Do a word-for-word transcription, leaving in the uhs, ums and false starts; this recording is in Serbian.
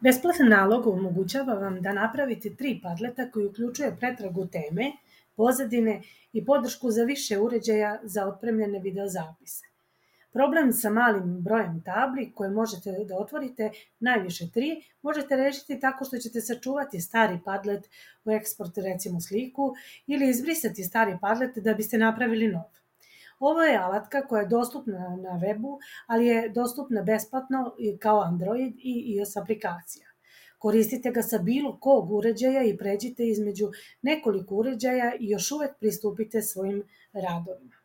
Besplatan nalog omogućava vam da napravite tri padleta koji uključuje pretragu teme, pozadine i podršku za više uređaja za otpremljene videozapise. Problem sa malim brojem tabli koje možete da otvorite, najviše tri, možete rešiti tako što ćete sačuvati stari padlet u eksport, recimo sliku, ili izbrisati stari padlet da biste napravili nov. Ovo je alatka koja je dostupna na webu, ali je dostupna besplatno kao Android i iOS aplikacija. Koristite ga sa bilo kog uređaja i pređite između nekoliko uređaja i još uvek pristupite svojim radovima.